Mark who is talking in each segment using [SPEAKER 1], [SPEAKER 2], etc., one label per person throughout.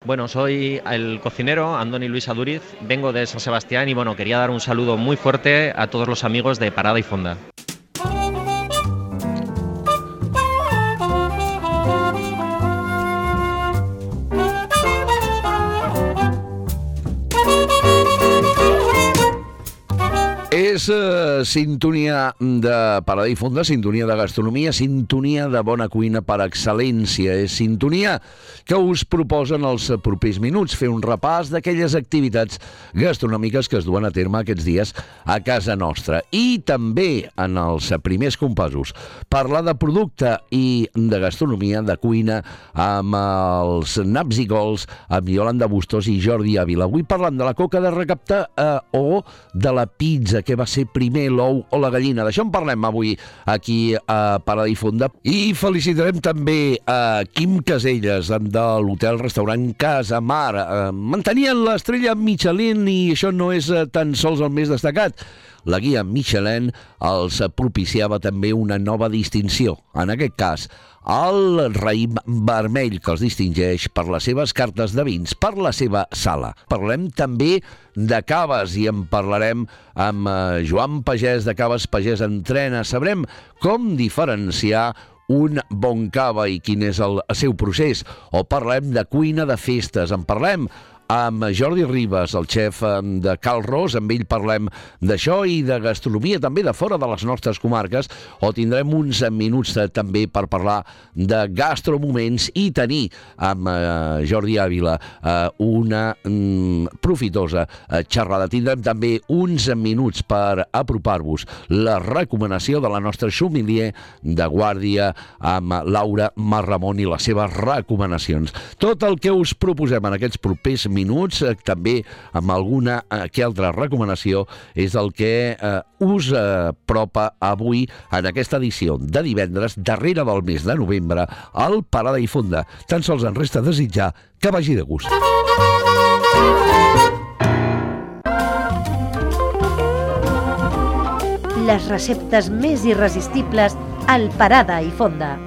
[SPEAKER 1] Bueno, soy el cocinero Andoni Luis Aduriz, vengo de San Sebastián y bueno, quería dar un saludo muy fuerte a todos los amigos de Parada y Fonda.
[SPEAKER 2] És sintonia de Parada i Fonda, sintonia de gastronomia, sintonia de bona cuina per excel·lència. És sintonia que us proposen els propers minuts fer un repàs d'aquelles activitats gastronòmiques que es duen a terme aquests dies a casa nostra. I també, en els primers compassos, parlar de producte i de gastronomia, de cuina, amb els naps i cols, amb Yolanda Bustos i Jordi Ávila. Avui parlant de la coca de recapte o de la pizza, què va ser primer, l'ou o la gallina. D'això en parlem avui aquí a Parada i Fonda. I felicitarem també a Quim Caselles de l'hotel-restaurant Casa Mar. Mantenien l'estrella Michelin i això no és tan sols el més destacat. La guia Michelin els propiciava també una nova distinció. En aquest cas, el raïm vermell, que els distingeix per les seves cartes de vins, per la seva sala. Parlem també de caves i en parlarem amb Joan Pagès de Caves Pagès Entrena. Sabrem com diferenciar un bon cava i quin és el seu procés. O parlem de cuina de festes. En parlem amb Jordi Ribas, el xef de Cal Ros. Amb ell parlem d'això i de gastronomia també de fora de les nostres comarques, o tindrem uns minuts també per parlar de gastromoments i tenir amb Jordi Ávila una profitosa xerrada. Tindrem també uns minuts per apropar-vos la recomanació de la nostra sommelier de guàrdia amb Laura Marramon i les seves recomanacions. Tot el que us proposem en aquests propers minuts, també amb alguna que altra recomanació, és el que us apropa avui en aquesta edició de divendres, darrere del mes de novembre, al Parada i Fonda. Tan sols en resta desitjar que vagi de gust.
[SPEAKER 3] Les receptes més irresistibles al Parada i Fonda.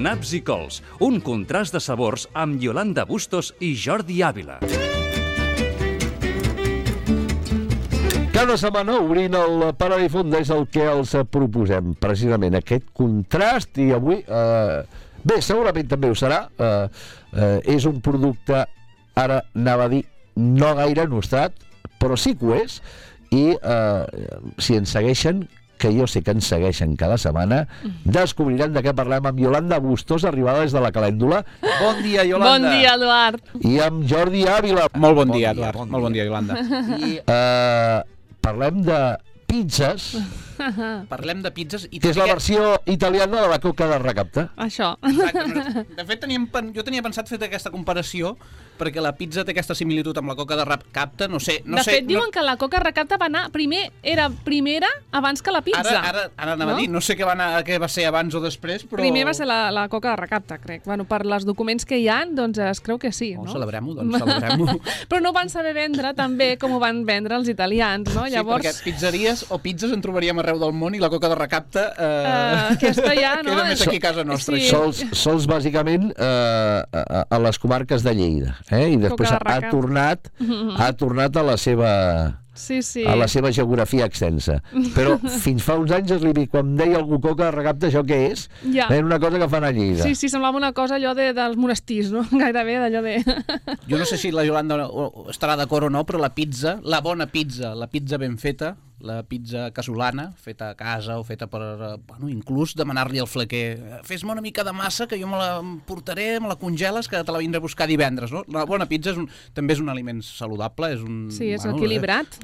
[SPEAKER 4] Naps i cols, un contrast de sabors amb Yolanda Bustos i Jordi Ávila.
[SPEAKER 2] Cada setmana, obrint el Parada i Fonda, és el que els proposem, precisament aquest contrast, i avui, bé, segurament també ho serà, és un producte, ara anava a dir, no gaire nostrat, però sí que ho és, i si ens segueixen, que jo sé que ens segueixen cada setmana, descobriran de què parlem amb Yolanda Bustos, arribada des de la Calèndula. Bon dia, Yolanda.
[SPEAKER 5] Bon dia, Eduard.
[SPEAKER 2] I amb Jordi Ávila.
[SPEAKER 6] Molt bon dia, Eduard. Molt bon dia, Yolanda.
[SPEAKER 2] I parlem de pizzas.
[SPEAKER 6] Parlem de pizzas i
[SPEAKER 2] que és la versió italiana de la coca de recapte.
[SPEAKER 5] Això.
[SPEAKER 6] Exacte. De fet, jo tenia pensat fer aquesta comparació perquè la pizza té aquesta similitud amb la coca de recapte, no sé...
[SPEAKER 5] De fet, diuen que la coca recapte va anar era primera abans que la pizza.
[SPEAKER 6] Ara anava a dir, no sé què va ser abans o després, però...
[SPEAKER 5] Primer va ser la coca de recapte, crec. Bueno, per els documents que hi ha, doncs es creu que sí, no?
[SPEAKER 6] Celebrem-ho, doncs celebrem-ho.
[SPEAKER 5] Però no van saber vendre tan bé com ho van vendre els italians, no?
[SPEAKER 6] Sí, perquè pizzeries o pizzas en trobaríem arreu del món i la coca de recapte
[SPEAKER 5] aquesta ja, no?
[SPEAKER 6] queda més aquí a casa nostra.
[SPEAKER 5] Sí.
[SPEAKER 2] Sols bàsicament a les comarques de Lleida, i després ha tornat a la seva...
[SPEAKER 5] Sí.
[SPEAKER 2] A la seva geografia extensa. Però fins fa uns anys, quan deia algú coca de recapte, això què és?
[SPEAKER 5] Ja.
[SPEAKER 2] Era una cosa que fan a Lleida.
[SPEAKER 5] Sí, semblava una cosa allò dels monestirs, no? Gairebé d'allò de...
[SPEAKER 6] Jo no sé si la Yolanda estarà d'acord o no, però la pizza, la bona pizza, la pizza ben feta, la pizza casolana, feta a casa o feta per... inclús demanar-li al flequer fes-me una mica de massa que jo me la portaré, me la congeles, que te la vindré a buscar divendres, no? La bona pizza també és un aliment saludable, és un...
[SPEAKER 5] Sí, és equilibrat.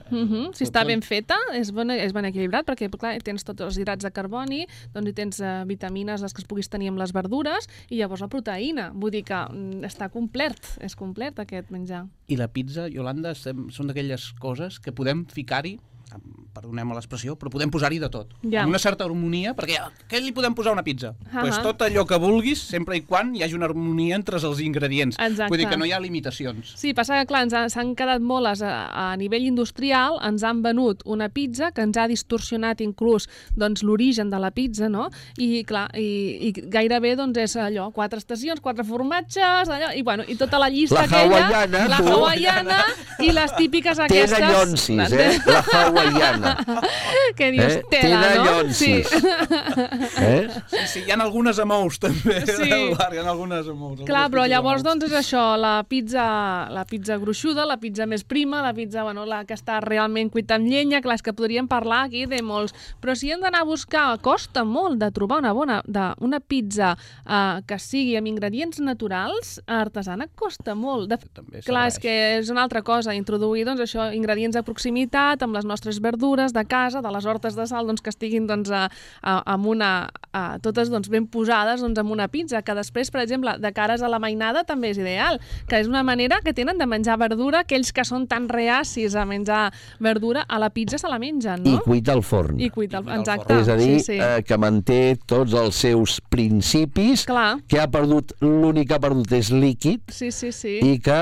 [SPEAKER 5] Si està ben feta, és ben equilibrat, perquè clar, tens tots els hidrats de carboni, doncs hi tens vitamines, les que es puguis tenir amb les verdures, i llavors la proteïna. Vull dir que està complet, és complet aquest menjar.
[SPEAKER 6] I la pizza, Yolanda, són d'aquelles coses que podem ficar-hi perdonem l'expressió, però podem posar-hi de tot.
[SPEAKER 5] Ja.
[SPEAKER 6] Amb una certa harmonia, perquè què li podem posar a una pizza?
[SPEAKER 5] Ah,
[SPEAKER 6] Pues tot allò que vulguis, sempre i quan hi hagi una harmonia entre els ingredients.
[SPEAKER 5] Exacte.
[SPEAKER 6] Vull dir que no hi ha limitacions.
[SPEAKER 5] Sí, passa que, clar, s'han quedat molt a nivell industrial, ens han venut una pizza que ens ha distorsionat inclús doncs, l'origen de la pizza, no? I, clar, i gairebé doncs, és allò, 4 estacions, 4 formatges, allò, i, bueno, i tota la llista
[SPEAKER 2] La
[SPEAKER 5] hawaiana i les típiques aquestes...
[SPEAKER 2] Té dallonsis, la hawaiana.
[SPEAKER 5] Que dius, tela,
[SPEAKER 2] té
[SPEAKER 5] no?
[SPEAKER 2] dallonsis.
[SPEAKER 6] Sí, hi ha algunes amb ous, també.
[SPEAKER 5] Sí.
[SPEAKER 6] Hi ha algunes amb ous.
[SPEAKER 5] Clar, però llavors doncs és això, la pizza gruixuda, la pizza més prima, la pizza, bueno, la que està realment cuita amb llenya, clar, és que podríem parlar aquí de molts, però si hem d'anar a buscar, costa molt de trobar una pizza que sigui amb ingredients naturals, artesana, costa molt. Clar, és que és una altra cosa, introduir doncs això, ingredients de proximitat, amb les nostres verdures de casa, de les hortes de sal, doncs que estiguin doncs totes doncs ben posades doncs amb una pizza, que després, per exemple, de cares a la mainada també és ideal, que és una manera que tenen de menjar verdura, aquells que són tan reacis a menjar verdura, a la pizza se la mengen, no?
[SPEAKER 2] I cuita al forn.
[SPEAKER 5] Exacte.
[SPEAKER 2] És a dir,
[SPEAKER 5] sí.
[SPEAKER 2] que manté tots els seus principis,
[SPEAKER 5] clar.
[SPEAKER 2] Que ha perdut, l'únic que ha perdut és líquid,
[SPEAKER 5] sí.
[SPEAKER 2] i que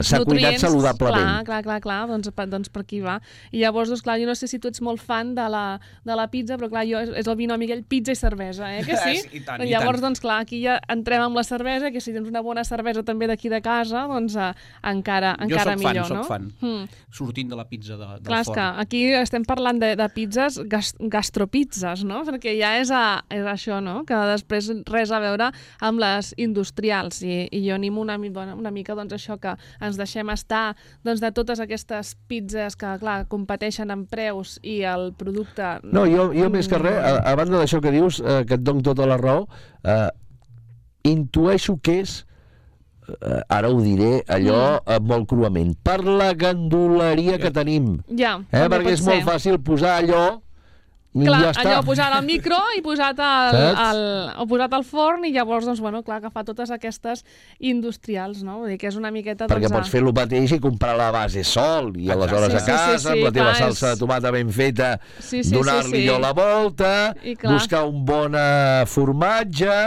[SPEAKER 2] s'ha cuinat saludablement.
[SPEAKER 5] Clar, doncs per aquí va. I llavors, doncs, clar, jo no sé si tu ets molt fan de la pizza, però clar, jo és el binomi aquell pizza i cervesa, que sí?
[SPEAKER 6] I tant,
[SPEAKER 5] llavors, doncs clar, aquí ja entrem amb la cervesa, que si tens una bona cervesa també d'aquí de casa, doncs encara millor, no?
[SPEAKER 6] Jo soc fan, sortint de la pizza del
[SPEAKER 5] clar,
[SPEAKER 6] forn.
[SPEAKER 5] És que aquí estem parlant de pizzas, gastropizzas, no? Perquè ja és això, no? Que després res a veure amb les industrials, i jo animo una mica doncs això, que ens deixem estar doncs, de totes aquestes pizzas que, clar, competeixen en preus i el producte...
[SPEAKER 2] No, jo més que res, a banda d'això que dius, que et dono tota la raó, intueixo que és, ara ho diré, allò molt cruament, per la ganduleria que tenim.
[SPEAKER 5] Ja,
[SPEAKER 2] perquè és molt fàcil posar allò.
[SPEAKER 5] Clar,
[SPEAKER 2] ja està.
[SPEAKER 5] allò posat al micro i posat al forn, i llavors, doncs, bueno, clar, agafar totes aquestes industrials, no? Vull dir que és una miqueta...
[SPEAKER 2] Perquè pots fer el mateix i comprar la base sol, i aleshores a casa, amb la teva salsa de tomata ben feta, donar-li jo la volta, buscar un bon formatge,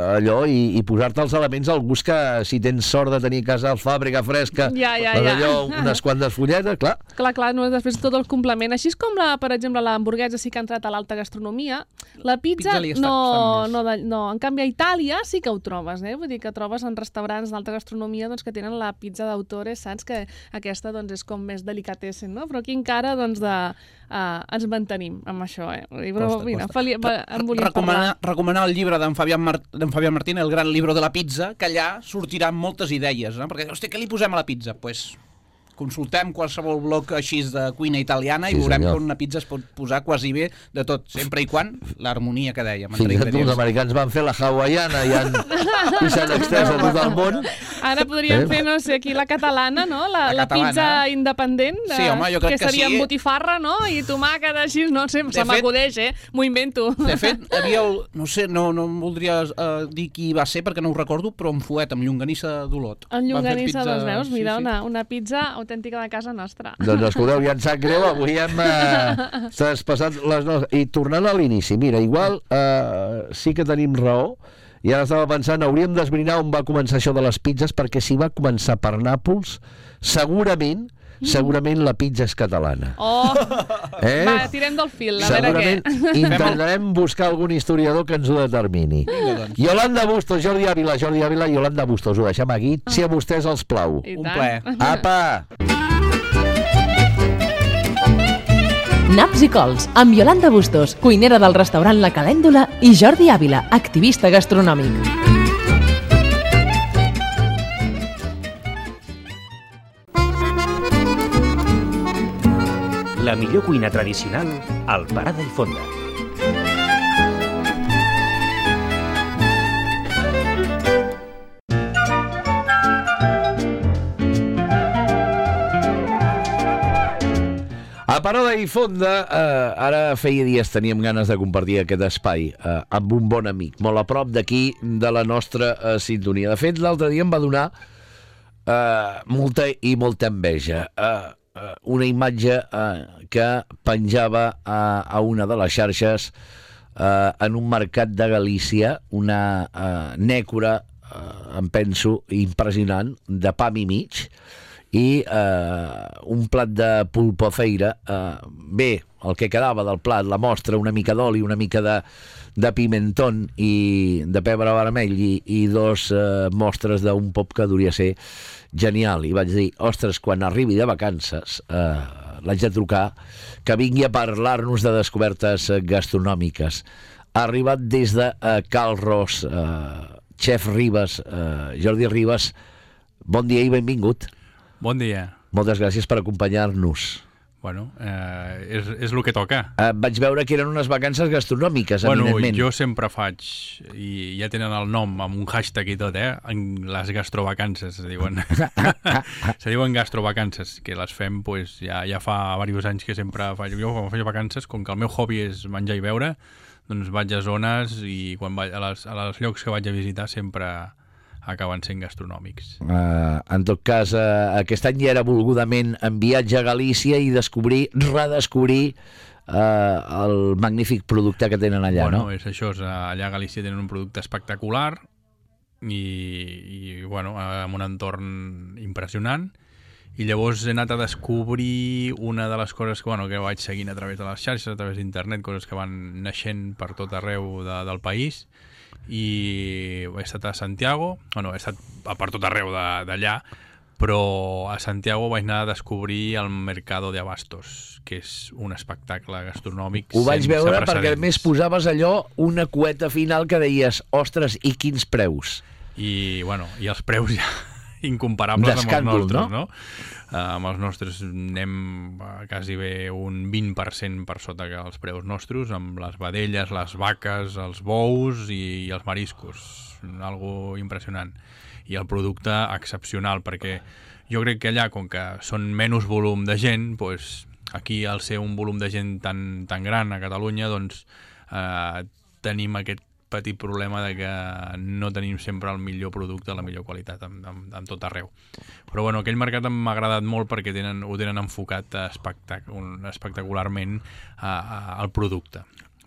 [SPEAKER 2] allò, i posar-te els elements al gust, que si tens sort de tenir a casa fàbrica fresca, allò, unes quantes fulletes, clar.
[SPEAKER 5] Clar, no, després tot el complement. Així és com, per exemple, l'hamburguesa sí que ha entrat a l'alta gastronomia, la pizza no, en canvi a Itàlia sí que ho trobes, vull dir que trobes en restaurants d'alta gastronomia doncs, que tenen la pizza d'autore, saps que aquesta doncs, és com més delicatessen, no? Però aquí encara doncs, ens mantenim amb això, Però, mira, em volia parlar.
[SPEAKER 6] Recomanar el llibre d'en Fabián Martín, El gran libro de la pizza, que allà sortiran moltes idees, no? Perquè, hosti, què li posem a la pizza? Pues consultem qualsevol blog així de cuina italiana i veurem que una pizza es pot posar quasi bé de tot, sempre i quan l'harmonia que dèiem.
[SPEAKER 2] Fins que els americans van fer la hawaiana i s'han extès a tot el món.
[SPEAKER 5] Ara podríem fer, no sé, aquí la catalana, no? La pizza independent, que seria amb botifarra, no? I tomàquet així, no sé, se m'acudeix, m'ho invento.
[SPEAKER 6] De fet, havia no sé, no em voldria dir qui va ser perquè no ho recordo, però en Fuet, amb llonganissa d'Olot.
[SPEAKER 5] En llonganissa, doncs veus, mira, una pizza autèntica de casa nostra.
[SPEAKER 2] Doncs escolteu, ja ens sap greu, avui hem traspassat les nostres... I tornant a l'inici, mira, igual sí que tenim raó, i ara estava pensant, hauríem d'esbrinar on va començar això de les pizzas, perquè si va començar per Nàpols, segurament la pizza és catalana.
[SPEAKER 5] Va, tirem del fil, a veure què.
[SPEAKER 2] Segurament intentarem buscar algun historiador que ens ho determini. Yolanda Bustos, Jordi Ávila, Yolanda Bustos, ho deixem aquí, si a vostès els plau.
[SPEAKER 6] Un plaer.
[SPEAKER 2] Apa!
[SPEAKER 7] Naps i cols, amb Yolanda Bustos, cuinera del restaurant La Calèndula, i Jordi Ávila, activista gastronòmic.
[SPEAKER 8] La millor cuina tradicional al Parada i Fonda.
[SPEAKER 2] A Parada i Fonda, ara feia dies teníem ganes de compartir aquest espai amb un bon amic, molt a prop d'aquí, de la nostra sintonia. De fet, l'altre dia em va donar molta enveja. una imatge que penjava a una de les xarxes en un mercat de Galícia, una nècora, em penso, impressionant, de pam i mig, i un plat de pulpofeira, bé, el que quedava del plat, la mostra, una mica d'oli, una mica de pimentón i de pebre vermell i dos mostres d'un pop que hauria ser genial. I vaig dir, ostres, quan arribi de vacances l'haig de trucar que vingui a parlar-nos de descobertes gastronòmiques. Ha arribat des de Cal Ros, Chef Ribas, Jordi Ribas, bon dia i benvingut.
[SPEAKER 9] Bon dia.
[SPEAKER 2] Moltes gràcies per acompanyar-nos.
[SPEAKER 9] Bueno, és el que toca.
[SPEAKER 2] Vaig veure que eren unes vacances gastronòmiques, eminentment.
[SPEAKER 9] Jo sempre faig, i ja tenen el nom amb un hashtag i tot, les gastrovacances, se diuen. Se diuen gastrovacances, que les fem pues, ja fa diversos anys que sempre faig. Jo quan faig vacances, com que el meu hobby és menjar i beure, doncs vaig a zones i quan vaig als llocs que vaig a visitar sempre acaben sent gastronòmics.
[SPEAKER 2] En tot cas, aquest any ja era volgudament en viatge a Galícia i redescobrir el magnífic producte que tenen allà,
[SPEAKER 9] no?
[SPEAKER 2] No?
[SPEAKER 9] És això, allà a Galícia tenen un producte espectacular i bueno, amb un entorn impressionant, i llavors he anat a descobrir una de les coses que vaig seguint a través de les xarxes, a través d'internet, coses que van naixent per tot arreu del país, i he estat a Santiago, he estat per tot arreu d'allà, però a Santiago vaig anar a descobrir el Mercado de Abastos, que és un espectacle gastronòmic sense precedents.
[SPEAKER 2] Ho vaig veure perquè a més posaves allò, una cueta final que deies, ostres, i quins preus?
[SPEAKER 9] I els preus ja incomparables amb els nostres, no? Amb els nostres anem quasi bé un 20% per sota que els preus nostres, amb les vedelles, les vaques, els bous i els mariscos. Algo impressionant. I el producte excepcional, perquè jo crec que allà, com que són menys volum de gent, doncs aquí al ser un volum de gent tan gran a Catalunya, doncs tenim aquest petit problema de que no tenim sempre el millor producte, la millor qualitat en tot arreu. Però aquell mercat m'ha agradat molt perquè ho tenen enfocat espectacularment al producte.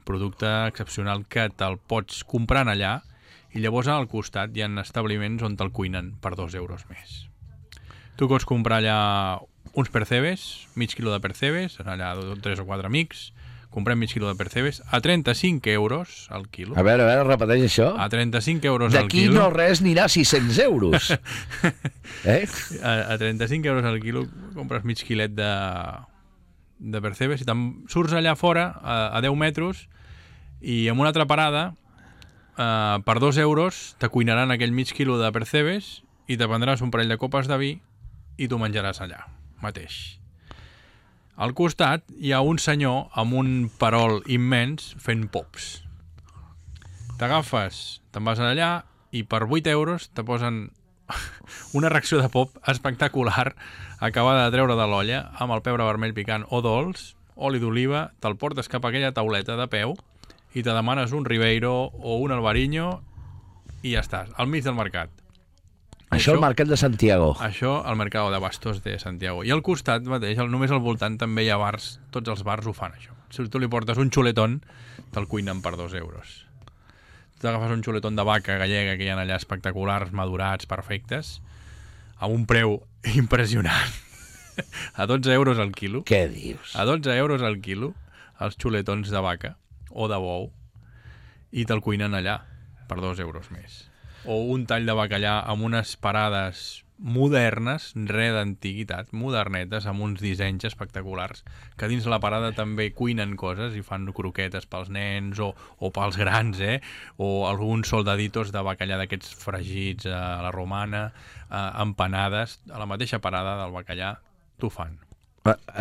[SPEAKER 9] Producte excepcional que te'l pots comprar allà i llavors al costat hi ha establiments on te'l cuinen per 2 euros més. Tu pots comprar allà uns percebes, mig quilo de percebes, allà 3 o 4 amics, comprem mig quilo de percebes a 35 euros al quilo.
[SPEAKER 2] A veure, repeteix això.
[SPEAKER 9] A 35 euros al
[SPEAKER 2] quilo. D'aquí no res anirà a 600 euros.
[SPEAKER 9] A 35 euros al quilo compres mig quilet de percebes i surts allà fora a 10 metres i amb una altra parada per 2 euros te cuinaran aquell mig quilo de percebes i te prendràs un parell de copes de vi i tu menjaràs allà mateix. Al costat hi ha un senyor amb un perol immens fent pops. T'agafes, te'n vas allà i per 8 euros te posen una ració de pop espectacular acabada de treure de l'olla amb el pebre vermell picant o dolç, oli d'oliva, te'l portes cap a aquella tauleta de peu i te demanes un Ribeiro o un Albariño i ja estàs, al mig del mercat.
[SPEAKER 2] Això al Mercat de Santiago.
[SPEAKER 9] Això al Mercado de Abastos de Santiago. I al costat mateix, només al voltant, també hi ha bars. Tots els bars ho fan, això. Si tu li portes un xuletón, te'l cuinen per 2 euros. Tu t'agafes un xuletón de vaca gallega que hi ha allà espectaculars, madurats, perfectes, a un preu impressionant. A 12 euros al quilo.
[SPEAKER 2] Què dius?
[SPEAKER 9] A 12 euros al quilo, els xuletons de vaca o de bou, i te'l cuinen allà per 2 euros més. O un tall de bacallà amb unes parades modernes, res d'antiguitat, modernetes, amb uns dissenys espectaculars, que dins la parada també cuinen coses i fan croquetes pels nens o pels grans, o alguns soldaditos de bacallà d'aquests fregits a la romana, empanades, a la mateixa parada del bacallà t'ho fan.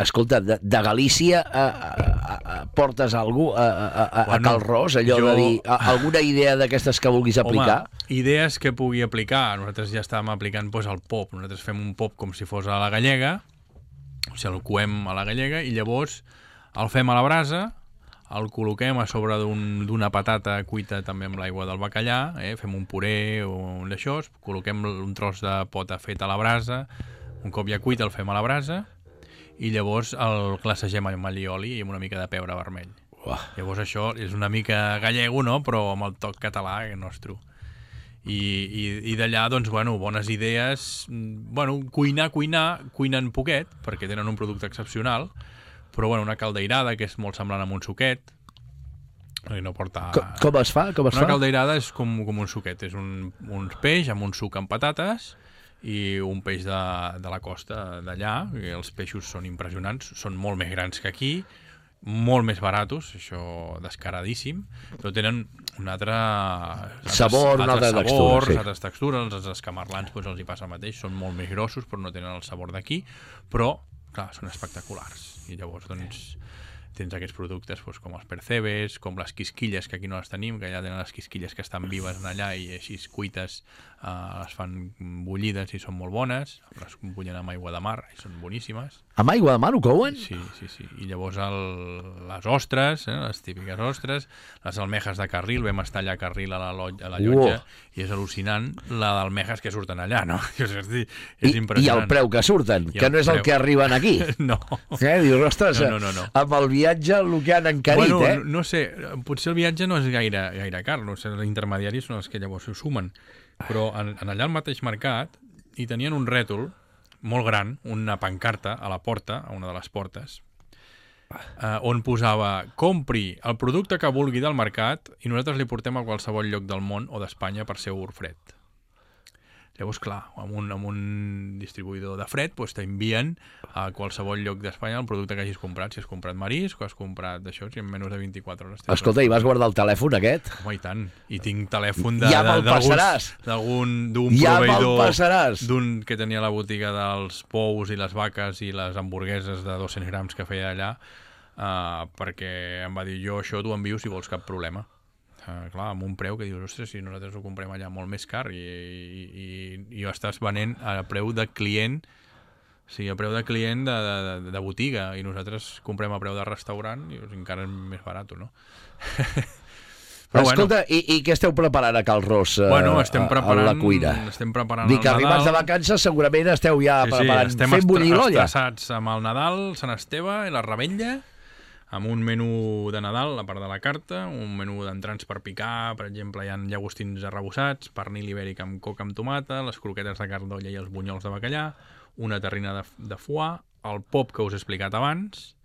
[SPEAKER 2] Escolta, de Galícia portes algú a Cal Ros, allò de dir alguna idea d'aquestes que vulguis aplicar?
[SPEAKER 9] Home, idees que pugui aplicar. Nosaltres ja estàvem aplicant el pop. Nosaltres fem un pop com si fos a la gallega, o sigui, el coem a la gallega i llavors el fem a la brasa, el col·loquem a sobre d'una patata cuita també amb l'aigua del bacallà, fem un puré o un d'això, col·loquem un tros de pota fet a la brasa, un cop ja cuit el fem a la brasa i llavors el glacegem amb allioli i amb una mica de pebre vermell. Llavors això és una mica gallego, no? Però amb el toc català nostre. I d'allà, doncs, bones idees. Cuinen poquet, perquè tenen un producte excepcional, però una caldeirada, que és molt semblant a un suquet. No porta...
[SPEAKER 2] Com es fa?
[SPEAKER 9] Una caldeirada és com un suquet. És un peix amb un suc amb patates i un peix de la costa d'allà. Els peixos són impressionants, són molt més grans que aquí, molt més baratos, això descaradíssim, però tenen un altre
[SPEAKER 2] sabor, una altra textura, sí.
[SPEAKER 9] Altres textures, els escamarlans els hi passa el mateix, són molt més grossos però no tenen el sabor d'aquí, però clar, són espectaculars i llavors doncs tens aquests productes com els percebes, com les quisquilles, que aquí no les tenim, que allà tenen les quisquilles que estan vives allà i així cuites les fan bullides i són molt bones, les bullen amb aigua de mar i són boníssimes.
[SPEAKER 2] Amb aigua de mar ho couen?
[SPEAKER 9] Sí. I llavors les ostres, les típiques ostres, les almejes de carril, vam estar allà a Carril a la llotja i és al·lucinant la d'almejes que surten allà, no? És impressionant.
[SPEAKER 2] I el preu que surten, que no és el que arriben aquí.
[SPEAKER 9] No.
[SPEAKER 2] Dius, ostres,
[SPEAKER 9] no.
[SPEAKER 2] amb el viatge el que han encarit,
[SPEAKER 9] No sé, potser el viatge no és gaire car, no sé, els intermediaris són els que llavors ho sumen, però allà al mateix mercat hi tenien un rètol molt gran, una pancarta a la porta, a una de les portes, on posava compri el producte que vulgui del mercat i nosaltres li portem a qualsevol lloc del món o d'Espanya per ser fred. Llavors, clar, amb un distribuïdor de fred t'envien a qualsevol lloc d'Espanya el producte que hagis comprat. Si has comprat marisc o has comprat d'això, si en menys de 24 hores...
[SPEAKER 2] Escolta, i vas guardar el telèfon aquest?
[SPEAKER 9] Home, i tant. I tinc telèfon
[SPEAKER 2] ja me'l passaràs.
[SPEAKER 9] d'un
[SPEAKER 2] ja
[SPEAKER 9] proveïdor d'un que tenia la botiga dels pous i les vaques i les hamburgueses de 200 grams que feia allà, perquè em va dir, jo això t'ho envio si vols cap problema. Clar, amb un preu que dius, ostres, si nosaltres ho comprem allà molt més car i ho estàs venent a preu de client, o sigui, a preu de client de botiga, i nosaltres comprem a preu de restaurant i encara és més barat, no?
[SPEAKER 2] Però escolta, i què esteu preparant a Cal Ros a la cuina?
[SPEAKER 9] Estem preparant
[SPEAKER 2] Dic que arribats de vacances segurament esteu ja preparant, fent bullir l'olla.
[SPEAKER 9] Estem estressats amb el Nadal, Sant Esteve i la Revetlla, amb un menú de Nadal, a part de la carta, un menú d'entrants per picar, per exemple, hi ha llagostins arrebossats, pernil ibèric amb coca amb tomata, les croquetes de carn d'olla i els bunyols de bacallà, una terrina de foie, el pop que us he explicat abans,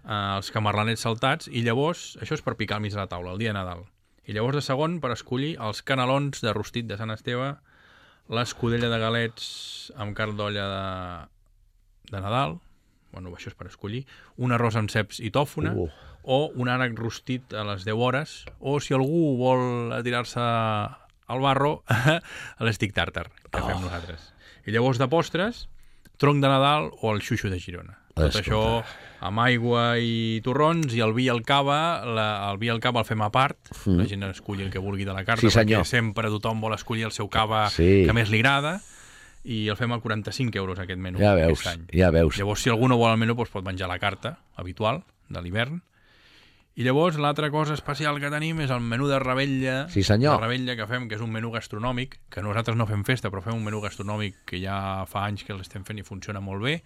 [SPEAKER 9] els camarlanets saltats, i llavors, això és per picar al mig de la taula, el dia de Nadal. I llavors de segon, per escollir els canelons de rostit de Sant Esteve, l'escudella de galets amb carn d'olla de Nadal, això és per escollir, un arròs amb ceps i tòfona, o un ànec rostit a les 10 hores, o si algú vol tirar-se al barro, l'estic tàrtar, que fem nosaltres. I llavors de postres, tronc de Nadal o el xuxo de Girona. Tot això amb aigua i torrons, i el vi i el cava, el vi i el cava el fem a part, la gent esculli el que vulgui de la carta, perquè sempre tothom vol escollir el seu cava que més li agrada, i el fem a 45 euros aquest menú aquest any.
[SPEAKER 2] Ja veus.
[SPEAKER 9] Llavors, si algú no vol el menú, pot menjar la carta habitual de l'hivern. I llavors, l'altra cosa especial que tenim és el menú de Revetlla,
[SPEAKER 2] de
[SPEAKER 9] Revetlla que fem, que és un menú gastronòmic, que nosaltres no fem festa, però fem un menú gastronòmic que ja fa anys que l'estem fent i funciona molt bé.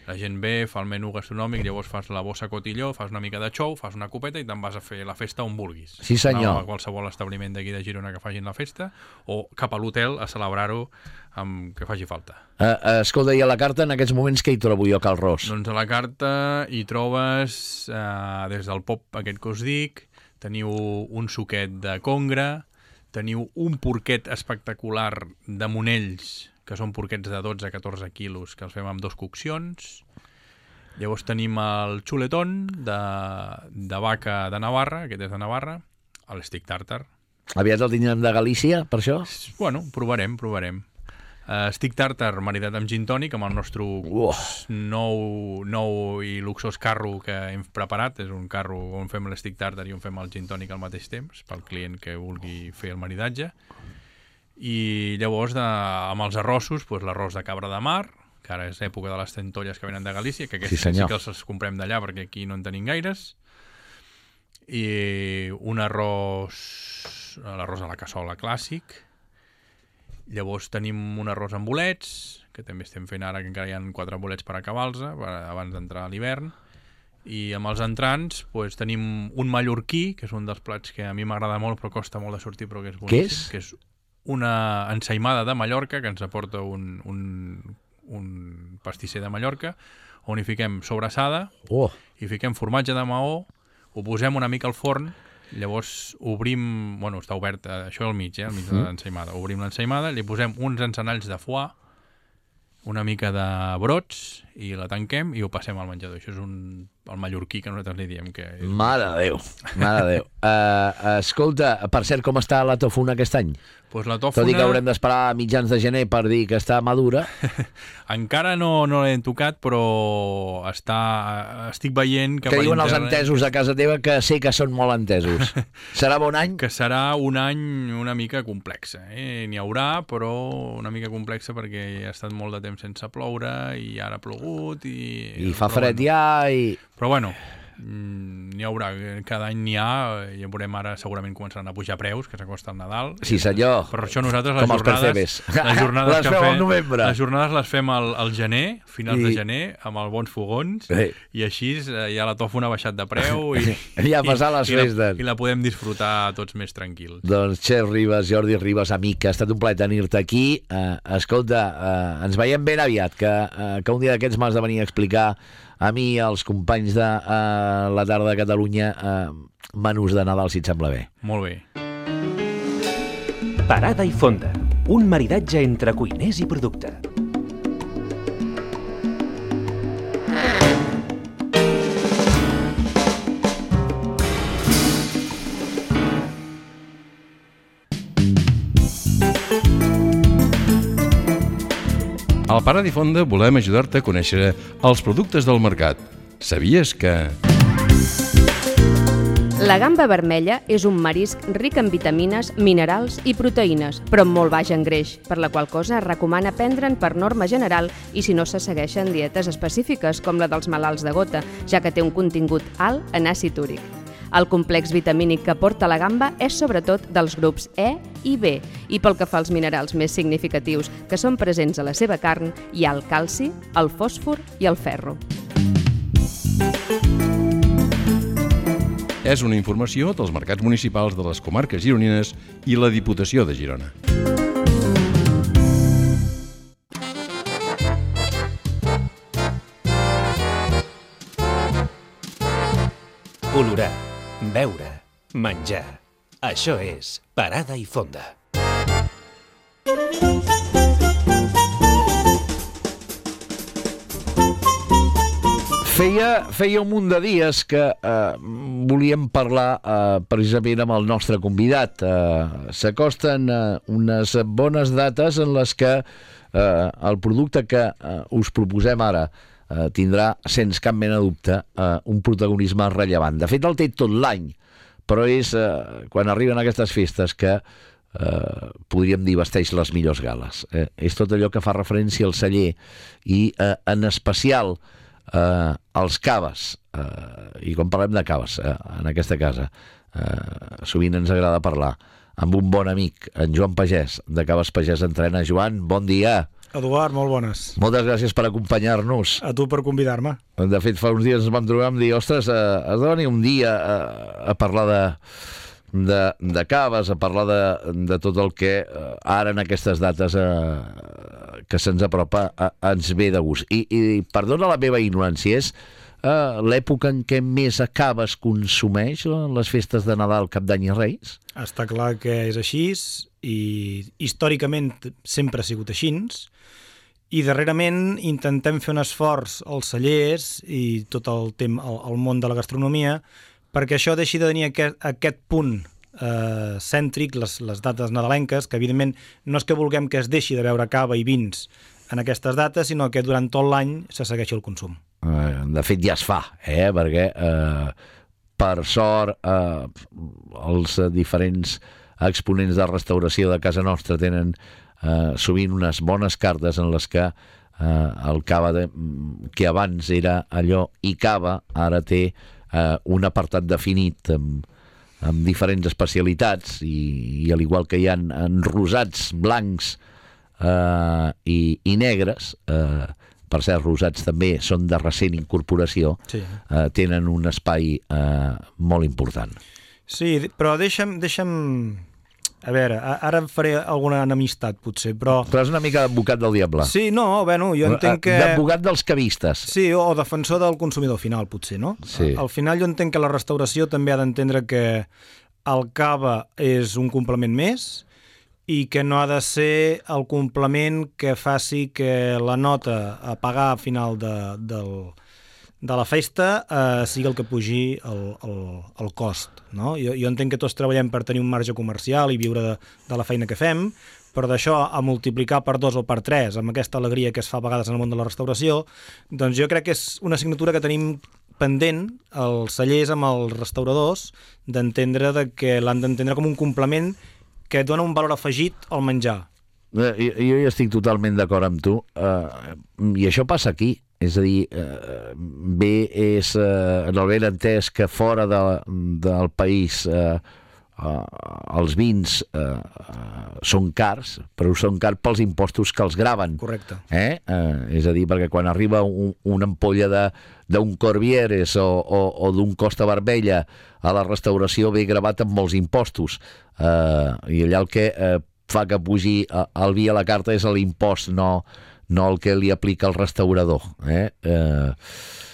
[SPEAKER 9] La gent ve, fa el menú gastronòmic, llavors fas la bossa cotilló, fas una mica de xou, fas una copeta i te'n vas a fer la festa on vulguis.
[SPEAKER 2] Sí, senyor.
[SPEAKER 9] A qualsevol establiment d'aquí de Girona que facin la festa, o cap a l'hotel a celebrar-ho amb que faci falta.
[SPEAKER 2] Escolta, i a la carta en aquests moments què hi trobo jo, Cal Ros?
[SPEAKER 9] Doncs a la carta hi trobes, des del pop aquest que us dic, teniu un suquet de congre, teniu un porquet espectacular de Monells, que són porquets de 12-14 quilos, que els fem amb 2 coccions. Llavors tenim el xuletón de vaca de Navarra, aquest és de Navarra, l'estic tàrtar.
[SPEAKER 2] Aviat el tindrem de Galícia, per això?
[SPEAKER 9] Bueno, provarem. Stick tàrtar maridat amb gin tònic, amb el nostre nou i luxós carro que hem preparat. És un carro on fem l'stick tàrtar i on fem el gin tònic al mateix temps, pel client que vulgui fer el maridatge. I llavors amb els arrossos, l'arròs de cabra de mar, que ara és època de les centolles que venen de Galícia, que aquests sí que els comprem d'allà perquè aquí no en tenim gaires, i un l'arròs a la cassola clàssic. Llavors tenim un arròs amb bolets, que també estem fent ara, que encara hi ha 4 bolets per acabar-los abans d'entrar a l'hivern. I amb els entrants tenim un mallorquí, que és un dels plats que a mi m'agrada molt però costa molt de sortir, però que és boníssim.
[SPEAKER 2] Què és?
[SPEAKER 9] Que és una ensaïmada de Mallorca que ens aporta un pastisser de Mallorca, on hi fiquem sobrassada, hi fiquem formatge de Maó, ho posem una mica al forn, llavors obrim, està obert, això al mig de l'ensaïmada, obrim l'ensaïmada, li posem uns encenalls de foie, una mica de brots, i la tanquem i ho passem al menjador. Això és el mallorquí que nosaltres li diem. Que és...
[SPEAKER 2] Mare de Déu. Escolta, per cert, com està la tofuna aquest any?
[SPEAKER 9] Pues la tòfona...
[SPEAKER 2] Tot i que haurem d'esperar a mitjans de gener per dir que està madura.
[SPEAKER 9] Encara no l'hem tocat, però estic veient que...
[SPEAKER 2] Que diuen els entesos a casa teva, que sé que són molt entesos. Serà bon any?
[SPEAKER 9] Que serà un any una mica complex. N'hi haurà, però una mica complexa perquè ha estat molt de temps sense ploure i ara ha plogut i
[SPEAKER 2] fa fred ja i...
[SPEAKER 9] Però bueno, n'hi haurà, cada any n'hi ha, ja veurem ara segurament començaran a pujar preus, que s'acosta el Nadal.
[SPEAKER 2] Sí senyor,
[SPEAKER 9] per això nosaltres
[SPEAKER 2] com els percebes.
[SPEAKER 9] Les jornades
[SPEAKER 2] les fem al novembre.
[SPEAKER 9] Les jornades les fem al gener, finals de gener, amb els bons fogons, i així ja la tòfona ha baixat de preu i
[SPEAKER 2] ja ha passat les festes.
[SPEAKER 9] I la podem disfrutar tots més tranquils.
[SPEAKER 2] Doncs Xef Ribas, Jordi Ribas, amic, ha estat un plaer tenir-te aquí. Escolta, ens veiem ben aviat, que un dia d'aquests m'has de venir a explicar a mi i als companys de la tarda de Catalunya menús de Nadal, si et sembla bé.
[SPEAKER 9] Molt bé.
[SPEAKER 8] Parada i fonda, un maridatge entre cuiners i producte.
[SPEAKER 10] Al Parada i Fonda volem ajudar-te a conèixer els productes del mercat. Sabies que...
[SPEAKER 11] La gamba vermella és un marisc ric en vitamines, minerals i proteïnes, però amb molt baix en greix, per la qual cosa es recomana prendre'n per norma general i si no se segueixen dietes específiques, com la dels malalts de gota, ja que té un contingut alt en àcid úric. El complex vitamínic que aporta la gamba és sobretot dels grups E i B, i pel que fa als minerals més significatius que són presents a la seva carn, hi ha el calci, el fòsfor i el ferro.
[SPEAKER 10] És una informació dels mercats municipals de les comarques gironines i la Diputació de Girona.
[SPEAKER 8] Olorar, beure, menjar. Això és Parada i Fonda.
[SPEAKER 2] Feia un munt de dies que volíem parlar precisament amb el nostre convidat. S'acosten unes bones dates en les que el producte que us proposem ara tindrà, sense cap mena de dubte, un protagonisme rellevant. De fet, el té tot l'any, però és quan arriben aquestes festes que podríem dir vesteix les millors gales. És tot allò que fa referència al celler i en especial els caves, i quan parlem de caves en aquesta casa sovint ens agrada parlar amb un bon amic, en Joan Pagès de Caves Pagès Entrena. Joan, bon dia.
[SPEAKER 12] Eduard, molt bones.
[SPEAKER 2] Moltes gràcies per acompanyar-nos.
[SPEAKER 12] A tu per convidar-me.
[SPEAKER 2] De fet, fa uns dies ens vam trobar i vam dir, ostres, has de venir un dia a parlar de caves, a parlar de tot el que ara en aquestes dates que se'ns apropa ens ve de gust. I perdona la meva ignorància, és l'època en què més caves consumeix les festes de Nadal, Cap d'Any i Reis?
[SPEAKER 12] Està clar que és així i històricament sempre ha sigut així, i darrerament intentem fer un esforç als cellers i tot el món de la gastronomia perquè això deixi de tenir aquest punt cèntric, les dates nadalenques, que evidentment no és que vulguem que es deixi de beure cava i vins en aquestes dates, sinó que durant tot l'any se segueixi el consum.
[SPEAKER 2] De fet ja es fa, perquè per sort els diferents exponents de restauració de casa nostra tenen sovint unes bones cartes en les que el cava que abans era allò i cava ara té un apartat definit amb diferents especialitats i al igual que hi ha en rosats blancs i negres, per cert, rosats també són de recent incorporació, tenen un espai molt important.
[SPEAKER 12] Sí, però deixa'm... A veure, ara faré alguna enemistat, potser, però...
[SPEAKER 2] Però és una mica d'advocat del diable.
[SPEAKER 12] Sí, no, bueno, jo entenc que...
[SPEAKER 2] D'advocat dels cavistes.
[SPEAKER 12] Sí, o defensor del consumidor final, potser, no?
[SPEAKER 2] Sí.
[SPEAKER 12] Al final jo entenc que la restauració també ha d'entendre que el cava és un complement més i que no ha de ser el complement que faci que la nota a pagar a final de la festa sigui el que pugi el cost. No? Jo entenc que tots treballem per tenir un marge comercial i viure de la feina que fem, però d'això a multiplicar per 2 o per 3 amb aquesta alegria que es fa a vegades en el món de la restauració, doncs jo crec que és una assignatura que tenim pendent els cellers amb els restauradors d'entendre que l'han d'entendre com un complement que dona un valor afegit al menjar.
[SPEAKER 2] Jo hi estic totalment d'acord amb tu, i això passa aquí. És a dir, bé és en el ben entès que fora del país els vins són cars, però són cars pels impostos que els graven.
[SPEAKER 12] Correcte.
[SPEAKER 2] És a dir, perquè quan arriba una ampolla d'un Corvieres o d'un Costa Barbella a la restauració ve gravat amb molts impostos. I allà el que fa que pugi el vi a la carta és l'impost, no el que li aplica el restaurador.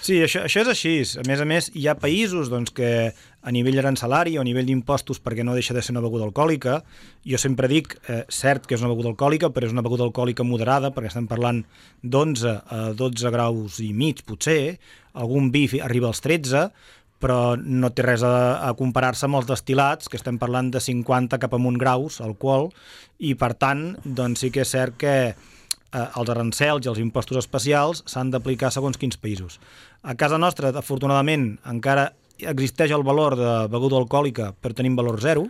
[SPEAKER 12] Sí, això és així. A més, hi ha països que a nivell arancelari o a nivell d'impostos, perquè no deixa de ser una beguda alcohòlica, jo sempre dic, cert que és una beguda alcohòlica, però és una beguda alcohòlica moderada, perquè estem parlant d'11 a 12 graus i mig, potser, algun vi arriba als 13, però no té res a comparar-se amb els destil·lats, que estem parlant de 50 cap amunt graus, alcohol, i per tant, doncs sí que és cert que els arancels i els impostos especials s'han d'aplicar segons quins països. A casa nostra, afortunadament, encara existeix el valor de beguda alcohòlica, però tenim valor zero,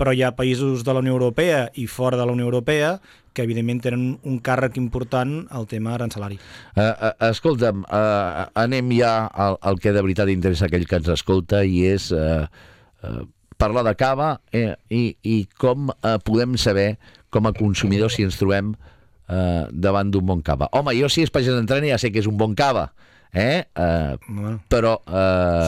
[SPEAKER 12] però hi ha països de la Unió Europea i fora de la Unió Europea que evidentment tenen un càrrec important al tema arancelari.
[SPEAKER 2] Escolta'm, anem ja al que de veritat interessa a aquell que ens escolta, i és parlar de cava i com podem saber com a consumidors si ens trobem davant d'un bon cava. Home, jo si és pagès d'entrena ja sé que és un bon cava, però...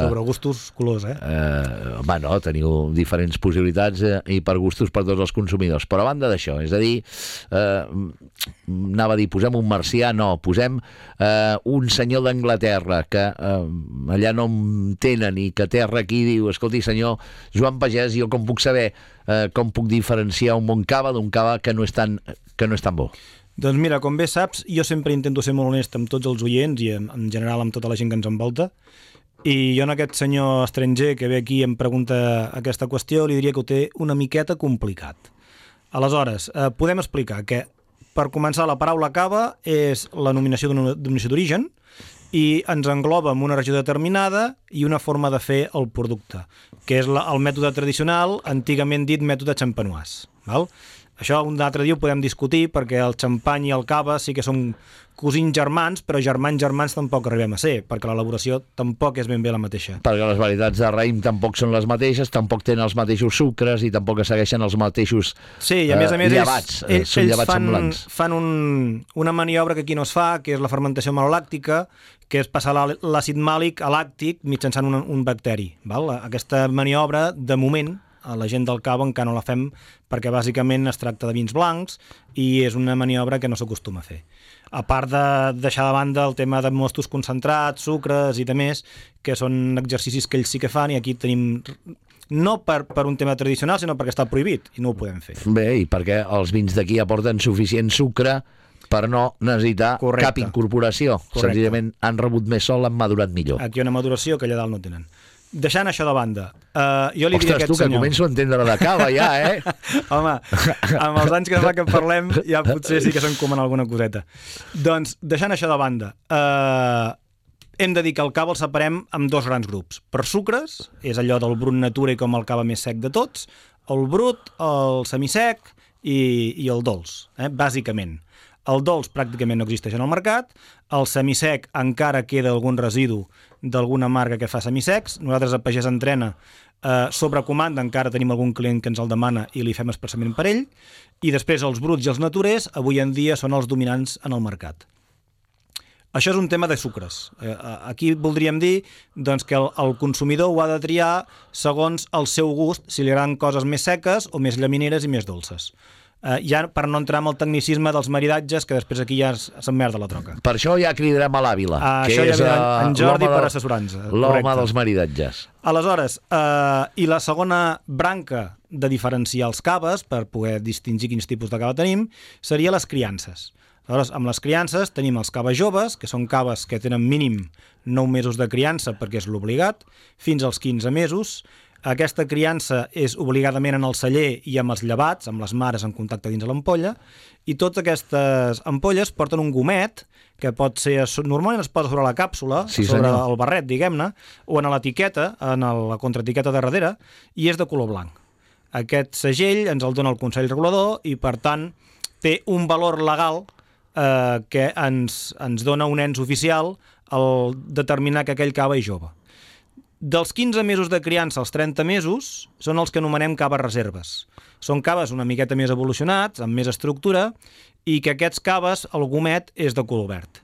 [SPEAKER 12] sobre gustos, colors,
[SPEAKER 2] home, no, teniu diferents possibilitats i per gustos per tots els consumidors. Però a banda d'això, és a dir, anava a dir, posem un marcià, no, posem un senyor d'Anglaterra que allà no em tenen i que terra aquí diu, escolti, senyor Joan Pagès, jo com puc saber, com puc diferenciar un bon cava d'un cava que no és tan bo?
[SPEAKER 12] Doncs mira, com bé saps, jo sempre intento ser molt honest amb tots els oients i en general amb tota la gent que ens envolta, i jo en aquest senyor estranger que ve aquí i em pregunta aquesta qüestió li diria que ho té una miqueta complicat. Aleshores, podem explicar que per començar la paraula cava és la nominació d'una denominació d'origen i ens engloba en una regió determinada i una forma de fer el producte, que és el mètode tradicional, antigament dit mètode champenois, val? Això un altre dia ho podem discutir perquè el xampany i el cava sí que són cosins germans, però germans tampoc arribem a ser, perquè l'elaboració tampoc és ben bé la mateixa.
[SPEAKER 2] Perquè les varietats de raïm tampoc són les mateixes, tampoc tenen els mateixos sucres i tampoc segueixen els mateixos llevats.
[SPEAKER 12] Ells fan una maniobra que aquí no es fa, que és la fermentació malolàctica, que és passar l'àcid màlic a làctic mitjançant un bacteri. Val? Aquesta maniobra, de moment, a la gent del cava encara no la fem perquè bàsicament es tracta de vins blancs i és una maniobra que no s'acostuma a fer. A part de deixar de banda el tema de mostos concentrats, sucres i demés, que són exercicis que ells sí que fan i aquí tenim... No per un tema tradicional, sinó perquè està prohibit i no ho podem fer.
[SPEAKER 2] Bé, i perquè els vins d'aquí aporten suficient sucre per no necessitar cap incorporació. Senzillament han rebut més sol, han madurat millor.
[SPEAKER 12] Aquí hi ha una maduració que allà dalt no tenen. Deixant això de banda, jo li
[SPEAKER 2] Ostres,
[SPEAKER 12] diria a aquest
[SPEAKER 2] tu, que
[SPEAKER 12] senyor...
[SPEAKER 2] començo a entendre de cava ja,
[SPEAKER 12] Home, amb els anys que fa que parlem ja potser sí que s'encomen alguna coseta. Doncs, deixant això de banda, hem de dir que el cava el separem en dos grans grups. Per sucres, és allò del brut natura i com el cava més sec de tots, el brut, el semisec i el dolç, bàsicament. El dolç pràcticament no existeix en el mercat, el semisec encara queda algun residu d'alguna marca que fa semisecs, nosaltres a Pagès Entrena sobre comanda encara tenim algun client que ens el demana i li fem expressament per ell, i després els bruts i els naturers avui en dia són els dominants en el mercat. Això és un tema de sucres. Aquí voldríem dir doncs, que el consumidor ho ha de triar segons el seu gust, si li agraden coses més seques o més llamineres i més dolces. Ja per no entrar en el tecnicisme dels maridatges, que després aquí ja s'emmerda la troca.
[SPEAKER 2] Per això ja cridarem a l'Àvila, que
[SPEAKER 12] això
[SPEAKER 2] és
[SPEAKER 12] ja en Jordi per assessorar-nos.
[SPEAKER 2] L'home dels maridatges.
[SPEAKER 12] Aleshores, i la segona branca de diferenciar els caves, per poder distingir quins tipus de cava tenim, seria les criances. Aleshores, amb les criances tenim els caves joves, que són caves que tenen mínim 9 mesos de criança, perquè és l'obligat, fins als 15 mesos. Aquesta criança és obligadament en el celler i amb els llevats, amb les mares en contacte dins de l'ampolla, i totes aquestes ampolles porten un gomet, que pot ser, normalment es posa sobre la càpsula,
[SPEAKER 2] sí,
[SPEAKER 12] sobre
[SPEAKER 2] senyor.
[SPEAKER 12] el barret, diguem-ne, o en l'etiqueta, en la contraetiqueta de darrere, i és de color blanc. Aquest segell ens el dona el Consell Regulador i, per tant, té un valor legal que ens dona un ens oficial al determinar que aquell cava és jove. Dels 15 mesos de criança als 30 mesos són els que anomenem caves reserves. Són caves una miqueta més evolucionats, amb més estructura, i que aquests caves, el gomet, és de color verd.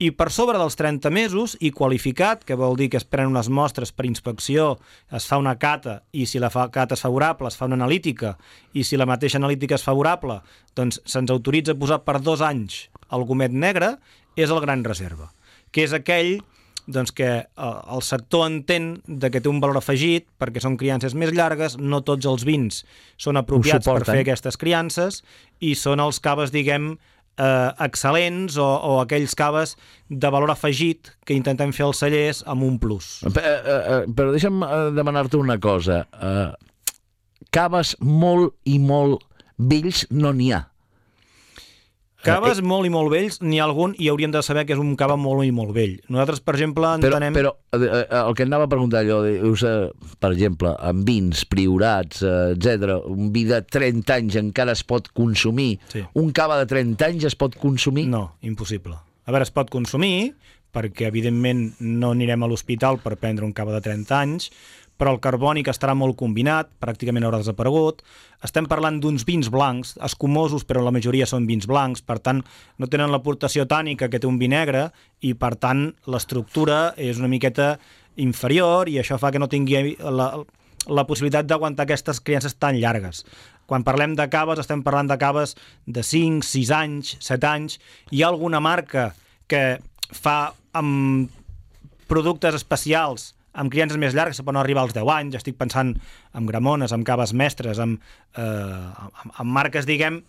[SPEAKER 12] I per sobre dels 30 mesos, i qualificat, que vol dir que es prenen unes mostres per inspecció, es fa una cata, i si la cata és favorable, es fa una analítica, i si la mateixa analítica és favorable, doncs se'ns autoritza a posar per 2 anys el gomet negre, és el gran reserva, que és aquell doncs que el sector entén que té un valor afegit perquè són criances més llargues, no tots els vins són apropiats per fer aquestes criances i són els caves, diguem, excel·lents o aquells caves de valor afegit que intentem fer als cellers amb un plus.
[SPEAKER 2] Però deixa'm demanar-te una cosa. Caves molt i molt vells no n'hi ha.
[SPEAKER 12] Caves molt i molt vells, n'hi ha algun i hauríem de saber que és un cava molt i molt vell. Nosaltres, per exemple, entenem...
[SPEAKER 2] Però el que anava a preguntar allò, per exemple, amb vins, priorats, etc. Un vi de 30 anys encara es pot consumir? Sí. Un cava de 30 anys es pot consumir?
[SPEAKER 12] No, impossible. A veure, es pot consumir, perquè evidentment no anirem a l'hospital per prendre un cava de 30 anys, però el carbònic estarà molt combinat, pràcticament haurà desaparegut. Estem parlant d'uns vins blancs, escumosos, però la majoria són vins blancs, per tant, no tenen l'aportació tànica que té un vi negre i, per tant, l'estructura és una miqueta inferior i això fa que no tingui la possibilitat d'aguantar aquestes criances tan llargues. Quan parlem de caves, estem parlant de caves de 5, 6 anys, 7 anys. Hi ha alguna marca que fa amb productes especials amb criances més llargues que poden arribar als 10 anys, estic pensant en gramones, amb caves mestres, amb marques, diguem,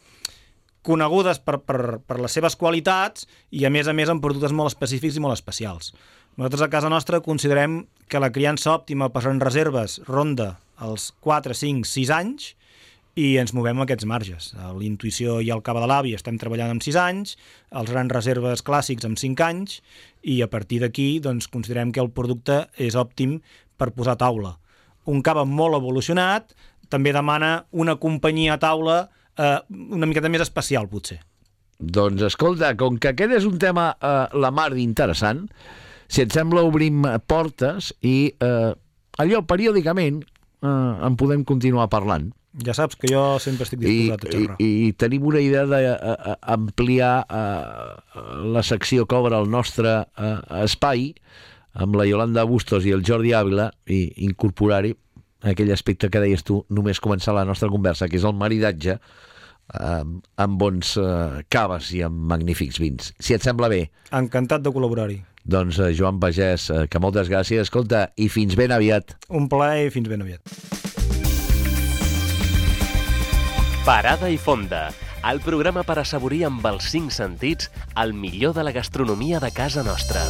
[SPEAKER 12] conegudes per les seves qualitats i, a més amb productes molt específics i molt especials. Nosaltres a casa nostra considerem que la criança òptima per en reserves ronda els 4, 5, 6 anys i ens movem a aquests marges. A l'Intuïció i al Cava de l'Avi estem treballant amb 6 anys, els grans reserves clàssics amb 5 anys, i a partir d'aquí doncs, considerem que el producte és òptim per posar a taula. Un cava molt evolucionat també demana una companyia a taula una miqueta més especial, potser.
[SPEAKER 2] Doncs escolta, com que aquest és un tema la mar d'interessant, si et sembla obrim portes i allò periòdicament en podem continuar parlant.
[SPEAKER 12] Ja saps que jo sempre estic disposat a xerrar.
[SPEAKER 2] I tenim una idea d'ampliar la secció que obre el nostre espai amb la Iolanda Bustos i el Jordi Ávila i incorporar-hi aquell aspecte que deies tu només començar la nostra conversa, que és el maridatge amb bons caves i amb magnífics vins. Si et sembla bé.
[SPEAKER 12] Encantat de col·laborar-hi.
[SPEAKER 2] Doncs Joan Pagès, que moltes gràcies. Escolta, i fins ben aviat.
[SPEAKER 12] Un plaer i fins ben aviat.
[SPEAKER 8] Parada i Fonda, el programa per assaborir amb els 5 sentits el millor de la gastronomia de casa nostra.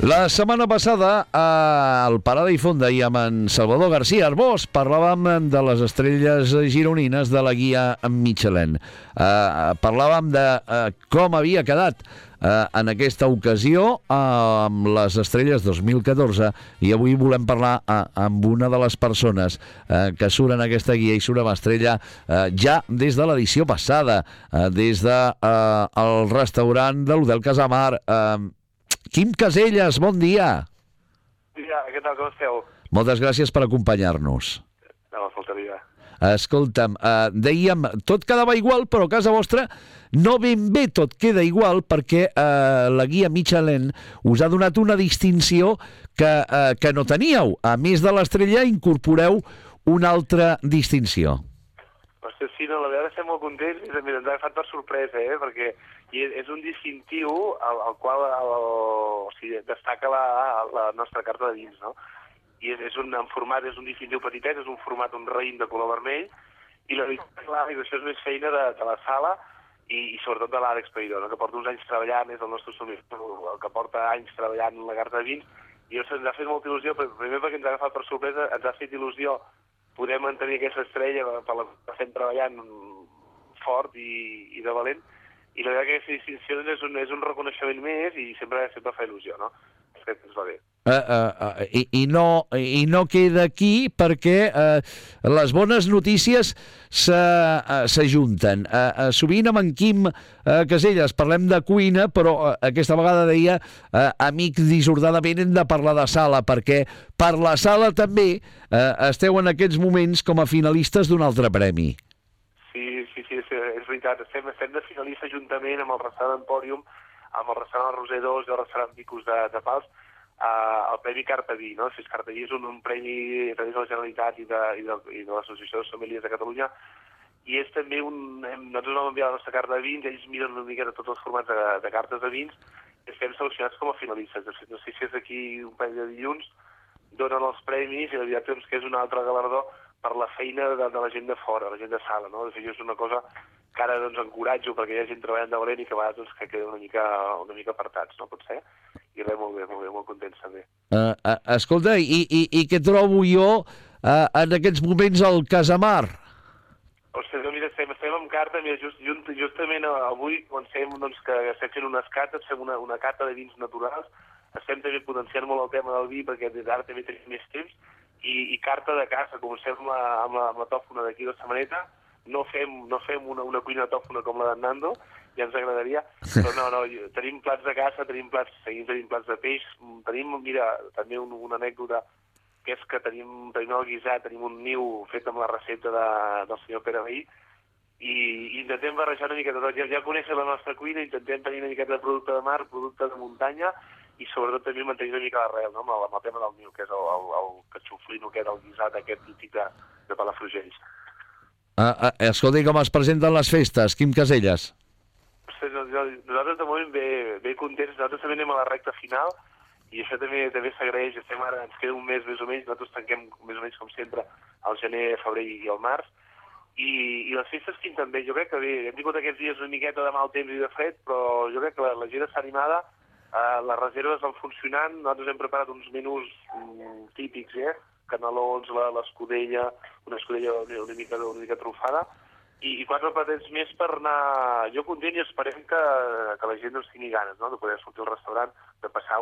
[SPEAKER 2] La setmana passada, al Parada i Fonda i amb en Salvador García Arbós, parlàvem de les estrelles gironines de la guia Michelin. Parlàvem de com havia quedat en aquesta ocasió amb les Estrelles 2014, i avui volem parlar amb una de les persones que surt en aquesta guia i surt amb estrella ja des de l'edició passada, des del restaurant de l'Hotel Casamar. Quim Caselles, bon dia.
[SPEAKER 13] Dia, què tal, com esteu?
[SPEAKER 2] Moltes gràcies per acompanyar-nos.
[SPEAKER 13] No, faltaria.
[SPEAKER 2] Escolta'm, dèiem, tot quedava igual, però a casa vostra no ben bé tot queda igual, perquè la guia Michelin us ha donat una distinció que no teníeu. A més de l'estrella, incorporeu una altra distinció.
[SPEAKER 13] Hòstia, sí, no, la veritat estem molt contents i ens ha agafat per sorpresa, perquè és un distintiu al qual destaca la nostra carta de vins, no? I és un distintiu petitet, és un format, un raïm de color vermell, i la veritat, clar, això és més feina de la sala i sobretot de l'Àlex Peiró, no? Que porta uns anys treballant, és el nostre sommelier, el que porta anys treballant en la carta de vins, i ens ha fet molta il·lusió, primer perquè ens ha agafat per sorpresa, ens ha fet il·lusió poder mantenir aquesta estrella per la que estem treballant fort i de valent, i la veritat que aquesta distinció és un reconeixement més i sempre fa il·lusió, no? Crec que ens va bé.
[SPEAKER 2] I no queda aquí perquè les bones notícies s'ajunten. Sovint amb en Quim Caselles parlem de cuina, però aquesta vegada deia amic dissortadament hem de parlar de sala, perquè per la sala també esteu en aquests moments com a finalistes d'un altre premi.
[SPEAKER 13] Sí, és veritat. Estem de finalistes juntament amb el restaurant Empòrium, amb el restaurant Roser 2 i el restaurant Vicus de Pals, el Premi Cartaví, no? Cartaví és un premi a través de la Generalitat i de l'Associació de Sommeliers de Catalunya, i és també nosaltres vam enviar la nostra carta de vins, ells miren una mica de tots els formats de cartes de vins, i estem seleccionats com a finalistes. No sé si és aquí un parell de dilluns, donen els premis, i la veritat és que és un altre galardó per la feina de la gent de fora, la gent de sala, no? De fet, és una cosa que ara encoratjo perquè hi ha gent treballant de valent i que a vegades que queden una mica apartats, no pot ser? I res, molt bé, molt contents també.
[SPEAKER 2] Escolta, i què trobo jo en aquests moments al Casamar?
[SPEAKER 13] Ostres, mira, estem amb carta, mira, justament avui comencem que estem fent unes cates, fem una cata de vins naturals, estem també potenciant molt el tema del vi perquè ara també tenim més temps, i carta de casa, comencem amb la tòfona d'aquí de Samaneta, no fem una cuina tòfona com la d'en Nando, ja ens agradaria, però no, tenim plats de casa, tenim plats de peix, tenim, mira, també una anècdota, que és que tenim el guisat, tenim un niu fet amb la recepta del senyor Pere Veí, i intentem barrejar una mica de tot, ja conèixer la nostra cuina, intentem tenir una miqueta de producte de mar, producte de muntanya, i sobretot també mantenir una mica l'arrel, no? amb el tema del niu, que és el catxuflino, que és el guisat aquest típic de Palafrugell.
[SPEAKER 2] Escolta, com es presenten les festes, Quim Caselles?
[SPEAKER 13] Nosaltres de moment bé contents, nosaltres també anem a la recta final i això també s'agraeix, ens queda un mes més o menys, nosaltres tanquem més o menys com sempre al gener, febrer i al març, i les festes pinten bé, jo crec que bé, hem tingut aquests dies una miqueta de mal temps i de fred, però jo crec que la gent està animada, les reserves van funcionant, nosaltres hem preparat uns menús típics, canelons, l'escudella, una escudella una mica trufada, i 4 platets més per anar jo content, i esperem que la gent ens tingui ganes, no?, de poder sortir al restaurant, de passar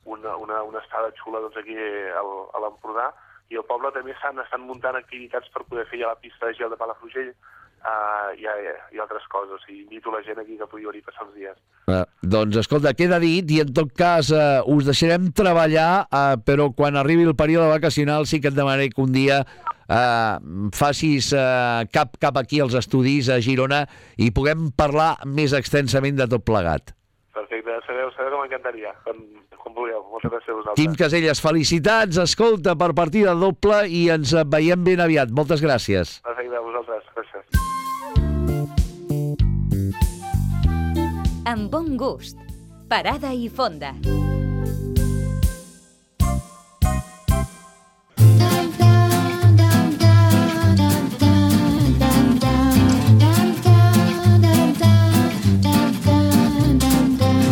[SPEAKER 13] una estada xula aquí a l'Empordà, i al poble també estan muntant activitats per poder fer ja la pista de gel de Palafrugell i altres coses, i invito la gent aquí que pugui venir a passar els dies.
[SPEAKER 2] Doncs escolta, queda dit, i en tot cas us deixarem treballar, però quan arribi el període vacacional sí que et demanaré que un dia facis cap aquí als estudis a Girona i puguem parlar més extensament de tot plegat.
[SPEAKER 13] Perfecte, sabeu que m'encantaria, quan vulgueu. Moltes gràcies a vosaltres.
[SPEAKER 2] Quim Caselles, felicitats, escolta, per partida doble, i ens veiem ben aviat. Moltes gràcies.
[SPEAKER 13] Perfecte, a vosaltres, gràcies.
[SPEAKER 3] Amb bon gust. Parada i fonda.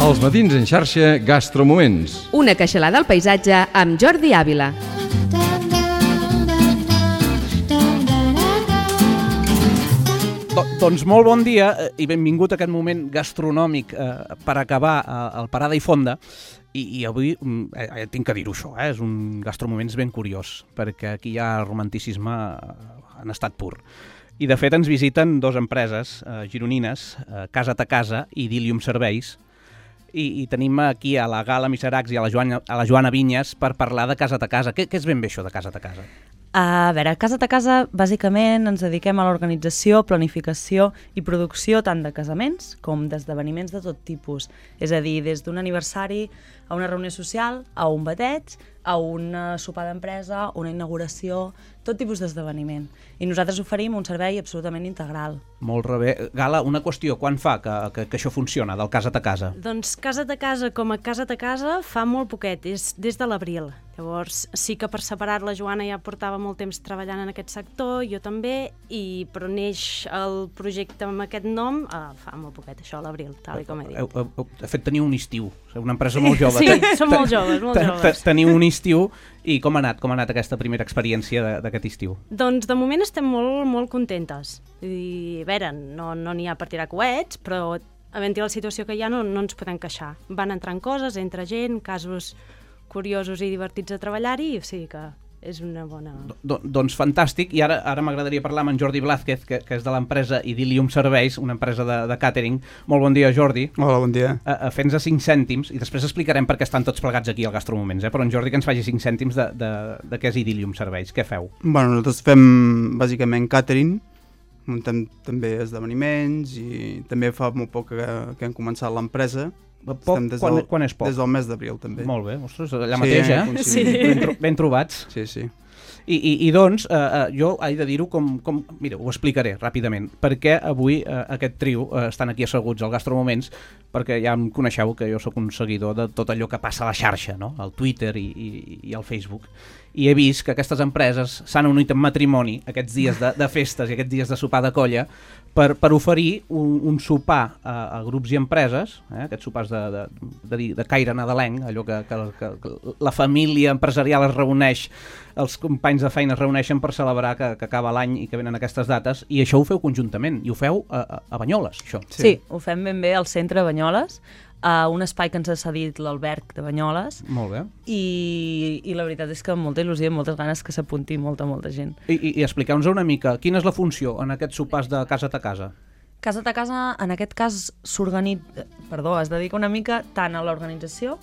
[SPEAKER 10] Els matins en xarxa Gastromoments.
[SPEAKER 11] Una queixalada al paisatge amb Jordi Ávila.
[SPEAKER 6] Doncs molt bon dia i benvingut a aquest moment gastronòmic per acabar el Parada i Fonda. I avui tinc que dir-ho això, és un gastromoments ben curiós, perquè aquí hi ha romanticisme en estat pur. I de fet ens visiten dues empreses gironines, Casa ta Casa i Idilium Serveis, i tenim aquí a la Gala Miseracs i a la Joana Vinyes per parlar de Casa ta Casa. Què és ben bé això de Casa ta Casa?
[SPEAKER 14] A veure, Casa ta Casa, bàsicament ens dediquem a l'organització, planificació i producció tant de casaments com d'esdeveniments de tot tipus. És a dir, des d'un aniversari a una reunió social, a un bateig, a un sopar d'empresa, una inauguració, tot tipus d'esdeveniment. I nosaltres oferim un servei absolutament integral.
[SPEAKER 6] Molt bé. Gala, una qüestió, quan fa que això funciona, del Casa ta Casa?
[SPEAKER 15] Doncs Casa ta Casa com a Casa ta Casa fa molt poquet, és des de l'abril. Llavors sí que per separat la Joana ja portava molt temps treballant en aquest sector, jo també, però neix el projecte amb aquest nom fa molt poquet, això a l'abril, tal com he dit.
[SPEAKER 6] De fet, teniu un estiu, una empresa molt jove.
[SPEAKER 15] Sí, som molt joves, molt joves.
[SPEAKER 6] Teniu un estiu, i com ha anat aquesta primera experiència d'aquest estiu?
[SPEAKER 15] Doncs de moment estem molt, molt contentes. I a veure, no n'hi ha per tirar coets, però havent-hi la situació que hi ha no ens podem queixar. Van entrant coses, entra gent, casos curiosos i divertits a treballar-hi, o sigui que és una bona...
[SPEAKER 6] Doncs fantàstic, i ara m'agradaria parlar amb en Jordi Blázquez, que és de l'empresa Idilium Serveis, una empresa de càtering. Molt bon dia, Jordi.
[SPEAKER 16] Hola, bon dia.
[SPEAKER 6] Fent-nos 5 cèntims, i després explicarem per què estan tots plegats aquí al Gastromoments, però en Jordi que ens faci 5 cèntims de què és Idilium Serveis. Què feu?
[SPEAKER 16] Bueno, nosaltres fem bàsicament càtering, muntem també esdeveniments i també fa molt poc que hem començat l'empresa.
[SPEAKER 6] Quan és poc?
[SPEAKER 16] Des del mes d'abril, també.
[SPEAKER 6] Molt bé, ostres, allà mateix,
[SPEAKER 16] Sí.
[SPEAKER 6] Ben trobats.
[SPEAKER 16] Sí.
[SPEAKER 6] I doncs, jo he de dir-ho mira, ho explicaré ràpidament, perquè avui aquest trio estan aquí asseguts al Gastromoments, perquè ja em coneixeu que jo sóc un seguidor de tot allò que passa a la xarxa, no? Al Twitter i al Facebook, i he vist que aquestes empreses s'han unit en matrimoni aquests dies de festes i aquests dies de sopar de colla per oferir un sopar a grups i empreses, aquests sopars de caire nadalenc, allò que la família empresarial es reuneix, els companys de feina es reuneixen per celebrar que acaba l'any i que venen aquestes dates, i això ho feu conjuntament, i ho feu a Banyoles, això.
[SPEAKER 14] Sí, ho fem ben bé al centre de Banyoles, a un espai que ens ha cedit l'Alberg de Banyoles.
[SPEAKER 6] Molt bé.
[SPEAKER 14] I la veritat és que amb molta il·lusió i moltes ganes que s'apunti molta gent.
[SPEAKER 6] I expliqueu-nos una mica, quina és la funció en aquests sopars de Casa ta Casa?
[SPEAKER 14] Casa ta Casa, en aquest cas, es dedica una mica tant a l'organització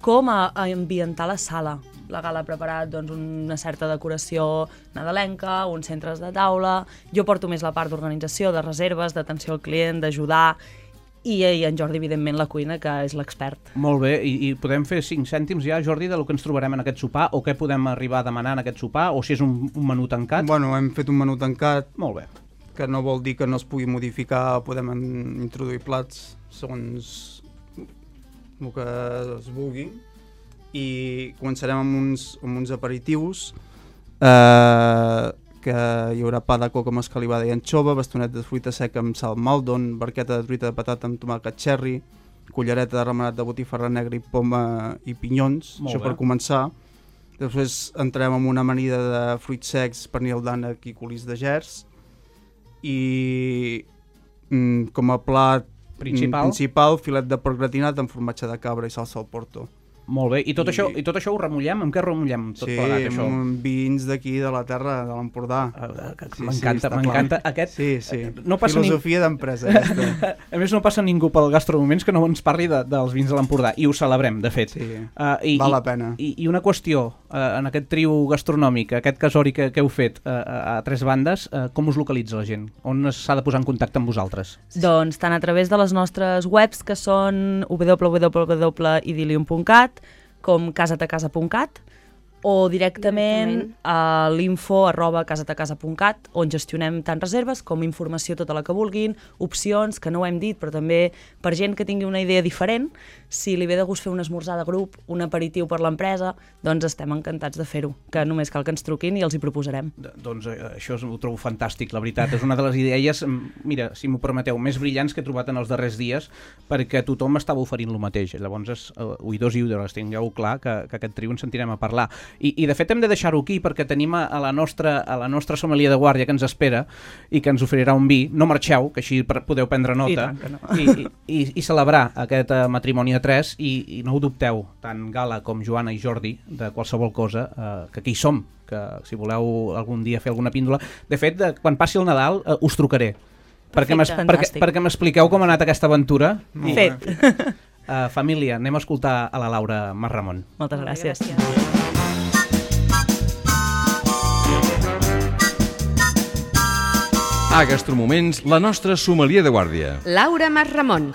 [SPEAKER 14] com a ambientar la sala. La Gala ha preparat una certa decoració nadalenca, uns centres de taula. Jo porto més la part d'organització, de reserves, d'atenció al client, d'ajudar, i en Jordi, evidentment, la cuina, que és l'expert.
[SPEAKER 6] Molt bé, i podem fer 5 cèntims ja, Jordi, del que ens trobarem en aquest sopar, o què podem arribar a demanar en aquest sopar, o si és un menú tancat?
[SPEAKER 16] Bueno, hem fet un menú tancat.
[SPEAKER 6] Molt bé.
[SPEAKER 16] Que no vol dir que no es pugui modificar, podem introduir plats segons el que es vulgui, i començarem amb uns aperitius, que hi haurà pa de coca amb escalivada i anxova, bastonet de fruita seca amb sal maldon, barqueta de truita de patata amb tomàquet cherry, cullereta de remenat de botifarra negra i poma i pinyons, això per començar. Després entrarem amb una amanida de fruits secs, pernil d'ànec i colís de gerds, i com a plat principal filet de porc gratinat amb formatge de cabra i salsa al porto.
[SPEAKER 6] Molt bé, i tot això ho remullem? Amb què remullem tot plegat, això?
[SPEAKER 16] Sí, amb vins d'aquí, de la terra, de l'Empordà.
[SPEAKER 6] M'encanta aquest...
[SPEAKER 16] Sí. Filosofia d'empresa.
[SPEAKER 6] A més, no passa ningú pel Gastromoments que no ens parli dels vins de l'Empordà, i ho celebrem, de fet.
[SPEAKER 16] Val la pena.
[SPEAKER 6] I una qüestió, en aquest trio gastronòmic, aquest casori que heu fet a 3 bandes, com us localitza la gent? On s'ha de posar en contacte amb vosaltres?
[SPEAKER 14] Doncs tant a través de les nostres webs, que són www.idilium.cat, com casatacasa.cat, o directament a l'info@casatacasa.cat, on gestionem tant reserves com informació tota la que vulguin, opcions, que no ho hem dit, però també per gent que tingui una idea diferent, si li ve de gust fer un esmorzar de grup, un aperitiu per l'empresa, doncs estem encantats de fer-ho, que només cal que ens truquin i els hi proposarem.
[SPEAKER 6] Doncs això ho trobo fantàstic, la veritat, és una de les idees, mira, si m'ho permeteu, més brillants que he trobat en els darrers dies, perquè tothom estava oferint el mateix, llavors, oïdors i oïdores, tingueu clar que aquest trio ens sentirem a parlar. I de fet hem de deixar-ho aquí perquè tenim a la nostra sommelier de guàrdia que ens espera i que ens oferirà un vi. No marxeu, que així podeu prendre nota i celebrar aquest matrimoni a 3 i no ho dubteu, tant Gala com Joana i Jordi, de qualsevol cosa, que aquí hi som, que si voleu algun dia fer alguna píndola. De fet, quan passi el Nadal us trucaré perquè m'expliqueu com ha anat aquesta aventura.
[SPEAKER 14] Fet.
[SPEAKER 6] Família, anem a escoltar a la Laura Masramon.
[SPEAKER 14] Moltes gràcies.
[SPEAKER 10] A Gastromoments, la nostra sommelier de guàrdia.
[SPEAKER 11] Laura Masramon.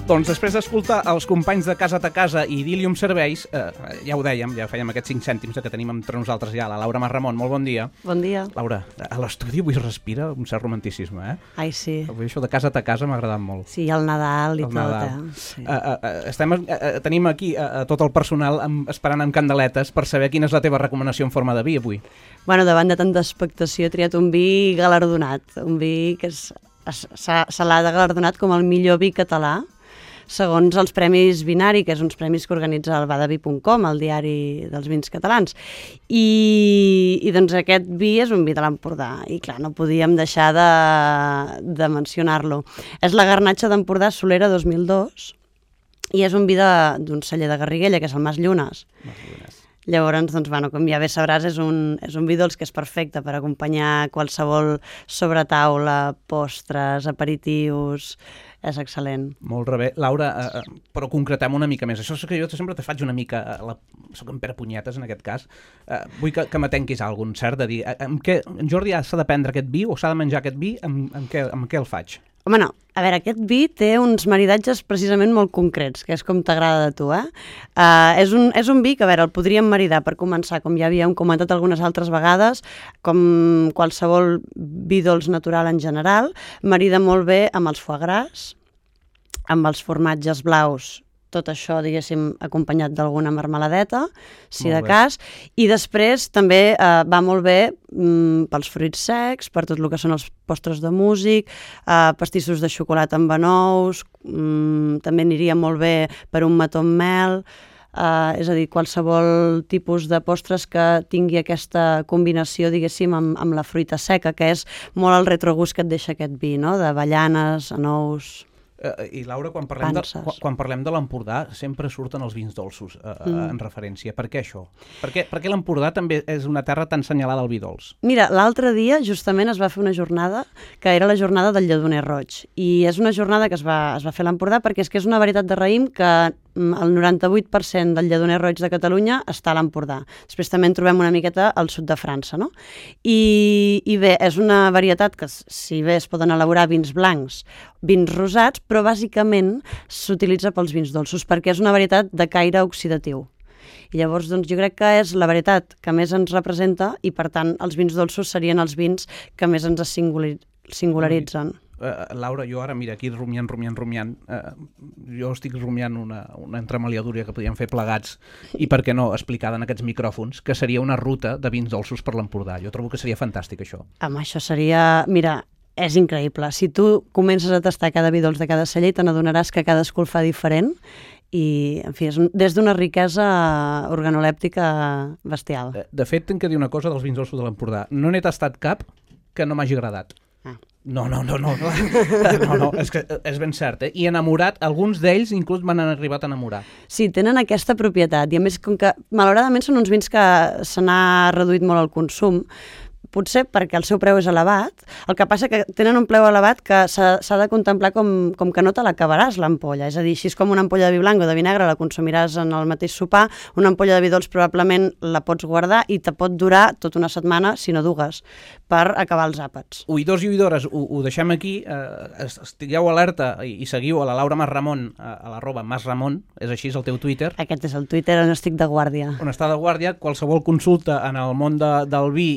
[SPEAKER 6] Doncs després d'escoltar els companys de Casa a Casa i Idilium Serveis, ja ho dèiem, ja fèiem aquests 5 cèntims que tenim entre nosaltres ja, la Laura Masramon, molt bon dia.
[SPEAKER 14] Bon dia.
[SPEAKER 6] Laura, a l'estudi avui es respira un cert romanticisme, eh?
[SPEAKER 14] Ai, sí.
[SPEAKER 6] Avui això de Casa a Casa m'ha agradat molt.
[SPEAKER 14] Sí, el Nadal i
[SPEAKER 6] el
[SPEAKER 14] tot,
[SPEAKER 6] Nadal.
[SPEAKER 14] Sí.
[SPEAKER 6] Tenim aquí tot el personal esperant amb candeletes per saber quina és la teva recomanació en forma de vi avui.
[SPEAKER 14] Bueno, davant de tanta expectació he triat un vi galardonat, un vi que se l'ha galardonat com el millor vi català, segons els Premis Vinari, que és uns premis que organitza el badavi.com, el diari dels vins catalans. I doncs aquest vi és un vi de l'Empordà, i clar, no podíem deixar de mencionar-lo. És la Garnatxa d'Empordà Solera 2002, i és un vi d'un celler de Garriguella, que és el Mas Llunes. Llavors, doncs, bueno, com ja bé sabràs, és un vi dolç que és perfecte per acompanyar qualsevol sobretaula, postres, aperitius. És excel·lent.
[SPEAKER 6] Molt bé. Laura, però concretem una mica més. Això és que jo sempre te faig una mica... Soc en Pere Punyetes, en aquest cas. Vull que m'atenquis a algun cert de dir... En Jordi s'ha de prendre aquest vi o s'ha de menjar aquest vi? Amb què el faig?
[SPEAKER 14] Home, no. A veure, aquest vi té uns maridatges precisament molt concrets, que és com t'agrada de tu, eh? És un vi que, a veure, el podríem maridar per començar, com ja havíem comentat algunes altres vegades, com qualsevol vi dolç natural en general, marida molt bé amb els foie gras, amb els formatges blaus, tot això, diguéssim, acompanyat d'alguna marmeladeta, si de cas, i després també va molt bé pels fruits secs, per tot el que són els postres de músic, pastissos de xocolata amb anous, també aniria molt bé per un mató amb mel, és a dir, qualsevol tipus de postres que tingui aquesta combinació, diguéssim, amb la fruita seca, que és molt el retrogust que et deixa aquest vi, no?, d'avellanes, anous...
[SPEAKER 6] I Laura, quan parlem de l'Empordà sempre surten els vins dolços en referència. Per què això? Per què l'Empordà també és una terra tan senyalada al vi dolç?
[SPEAKER 14] Mira, l'altre dia justament es va fer una jornada que era la jornada del lledoner roig, i és una jornada que es va fer a l'Empordà perquè és que és una varietat de raïm que el 98% del lledoner roig de Catalunya està a l'Empordà. Després també en trobem una miqueta al sud de França, no? I bé, és una varietat que, si bé es poden elaborar vins blancs, vins rosats, però bàsicament s'utilitza pels vins dolços, perquè és una varietat de caire oxidatiu. I llavors, doncs, jo crec que és la varietat que més ens representa i, per tant, els vins dolços serien els vins que més ens singularitzen.
[SPEAKER 6] Laura, jo ara, mira, aquí rumiant, jo estic rumiant una entremaliadura que podríem fer plegats i, per què no, explicada en aquests micròfons, que seria una ruta de vins dolços per l'Empordà. Jo trobo que seria fantàstic, això.
[SPEAKER 14] Home, això seria... Mira, és increïble. Si tu comences a tastar cada vi dolç de cada celler, te n'adonaràs que cadascú el fa diferent i, en fi, és des d'una riquesa organolèptica bestial.
[SPEAKER 6] De fet, tinc que dir una cosa dels vins dolços de l'Empordà. No n'he tastat cap que no m'hagi agradat. No, és que és ben cert, eh? I enamorat, alguns d'ells inclús m'han arribat a enamorar.
[SPEAKER 14] Sí, tenen aquesta propietat, i a més, com que malauradament són uns vins que se n'ha reduït molt el consum, potser perquè el seu preu és elevat, el que passa que tenen un preu elevat que s'ha de contemplar com que no te l'acabaràs l'ampolla, és a dir, si és com una ampolla de vi blanc o de vi negre, la consumiràs en el mateix sopar, una ampolla de vi dolç probablement la pots guardar i te pot durar tota una setmana, si no dues, per acabar els àpats.
[SPEAKER 6] Oïdors i oïdores, ho deixem aquí, estigueu alerta i seguiu a la Laura Masramon, a @masramon, és així, és el teu Twitter.
[SPEAKER 14] Aquest és el Twitter on estic de guàrdia.
[SPEAKER 6] On està de guàrdia, qualsevol consulta en el món del vi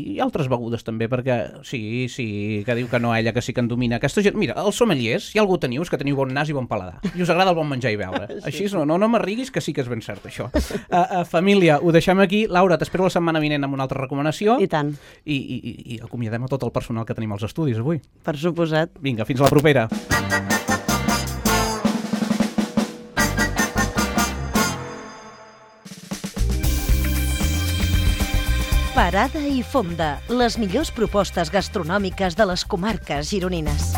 [SPEAKER 6] i altres begudes també, perquè sí, que diu que no, ella que sí que en domina. Aquesta gent, mira, els sommeliers, si algú teniu, és que teniu bon nas i bon paladar. I us agrada el bon menjar i beure. Així no m'arriguis, que sí que és ben cert, això. Família, ho deixem aquí. Laura, t'espero la setmana vinent amb una altra recomanació.
[SPEAKER 14] I tant.
[SPEAKER 6] I acomiadem a tot el personal que tenim als estudis avui.
[SPEAKER 14] Per suposat.
[SPEAKER 6] Vinga, fins a la propera.
[SPEAKER 3] Parada i fonda, les millors propostes gastronòmiques de les comarques gironines.